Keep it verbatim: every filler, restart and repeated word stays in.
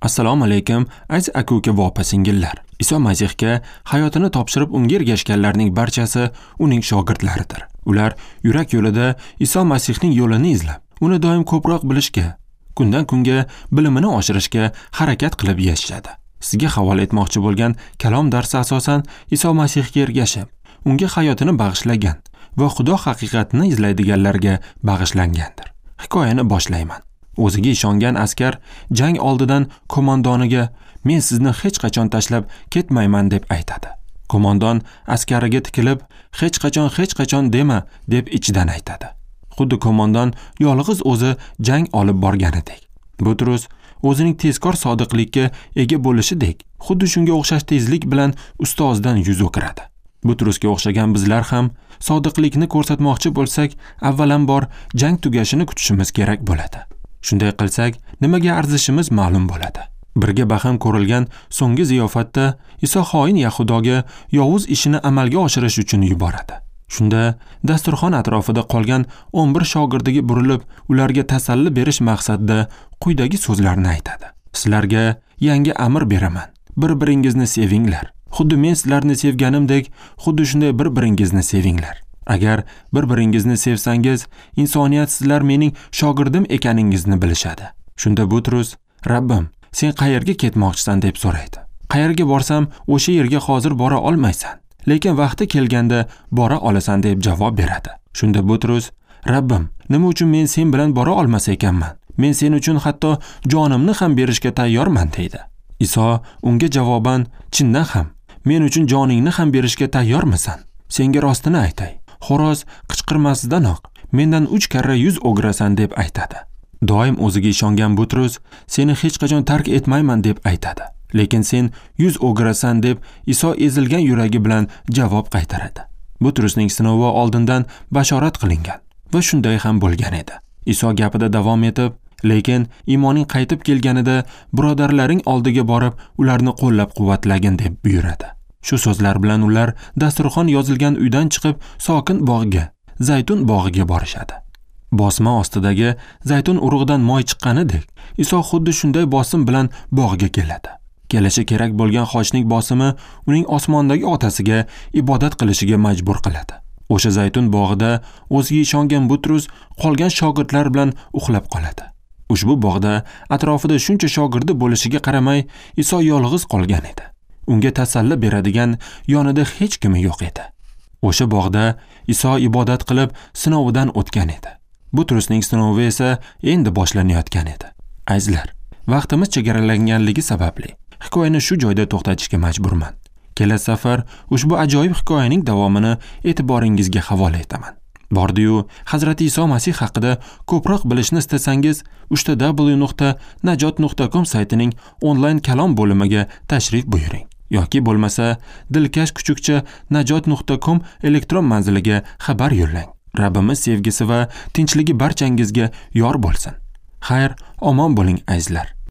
Assalomu alaykum, aziz aka-uka va opa-singillar. Iso Masihga hayotini topshirib unga ergashganlarning barchasi uning shogirdlaridir. Ular yurak yo'lida Iso Masihning yo'lini izlab, uni doim ko'proq bilishga, kundan kunga bilimini oshirishga harakat qilib yashashadi. Sizga havola etmoqchi bo'lgan kalom darsi asosan Iso Masihga ergashib, unga hayotini bag'ishlagan va Xudo haqiqatini izlaydiganlarga bag'ishlangandir. Hikoyani boshlayman. O'ziga ishongan askar jang oldidan qo'mondoniga "Men sizni hech qachon tashlab ketmayman" deb aytadi. Qo'mondon askariga tikilib, "Hech qachon, hech qachon dema" deb ichidan aytadi. Xuddi qo'mondon yolg'iz o'zi jang olib borganidek. Butrus o'zining tezkor sodiqlikka ega bo'lishidek, xuddi shunga o'xshash tezlik bilan ustozidan yuz o'giradi. Butrusga o'xshagan bizlar ham sodiqlikni ko'rsatmoqchi bo'lsak, avvalambor jang tugashini kutishimiz kerak bo'ladi. Shunday qilsak, nimaga arzishimiz ma'lum bo'ladi. Birga baham ko'rilgan so'nggi ziyofatda Iso xoin Yahudoga yovuz ishini amalga oshirish uchun yuboradi. Shunda dasturxon atrofida qolgan o'n bir shogirdiga burilib, ularga tasalli berish maqsadida quyidagi so'zlarni aytadi. Sizlarga yangi amr beraman. Bir-biringizni sevinglar. Xuddi men sizlarni sevganimdek, xuddi shunday bir-biringizni sevinglar. Agar bir-biringizni sevsangiz, insoniyat sizlar mening shogirdim ekaningizni bilishadi. Shunda Butrus, "Rabbim, sen qayerga ketmoqchisan?" deb so'raydi. "Qayerga borsam, o'sha yerga hozir bora olmaysan, lekin vaqti kelganda bora olasan" deb javob beradi. Shunda Butrus, "Rabbim, nima uchun men sen bilan bora olmas ekanman? Men sen uchun hatto jonimni ham berishga tayyorman" deydi. Iso unga javoban, "Chindan ham, men uchun joningni ham berishga tayyormisan? Senga rostini aytay. Xo'roz qichqirmasidanoq mendan uch karra yuz o'girasan" deb aytadi. Doim o'ziga ishongan Butrus, "Seni hech qachon tark etmayman" deb aytadi. Lekin sen yuz o'girasan deb Iso ezilgan yuragi bilan javob qaytaradi. Butrusning sinovi oldindan bashorat qilingan va shunday ham bo'lgan edi. Iso gapida davom etib, "Lekin iymoning qaytib kelganida birodarlaring oldiga borib, ularni qo'llab-quvvatlagin" deb buyuradi. Shu so'zlar bilan ular dasturxon yozilgan uydan chiqib, sokin bog'ga, zaytun bog'iga borishadi. Bosma ostidagi zaytun urug'idan moy chiqqanidek, Iso xuddi shunday bosim bilan bog'ga keladi. Kelishi kerak bo'lgan xochning bosimi uning osmondagi otasiga ibodat qilishiga majbur qiladi. O'sha zaytun bog'ida o'ziga ishongan Butrus qolgan shogirdlar bilan uxlab qoladi. Ushbu bog'da atrofida shuncha shogirdi bo'lishiga qaramay, Iso yolg'iz qolgan edi. Unga tasalli beradigan yonida hech kimi yo'q edi. O'sha bog'da Iso ibodat qilib sinovidan o'tgan edi. Butrusning sinovi esa endi boshlanayotgan edi. Azizlar, vaqtimiz chegaralanganligi sababli hikoyani shu joyda to'xtatishga majburman. Kelasi safar ushbu ajoyib hikoyaning davomini e'tiboringizga havola etaman. Bordi-yu, Hazrati Iso Masih haqida ko'proq bilishni istasangiz, uch w nuqta najot nuqta com saytining onlayn kalom bo'limiga tashrif buyuring. Yoki bo'lmasa, dilkash kuchukcha najot nuqta com elektron manziliga xabar yo'llang. Rabbimiz sevgisi va tinchligi barchangizga yor bo'lsin. Xayr, omon bo'ling azizlar.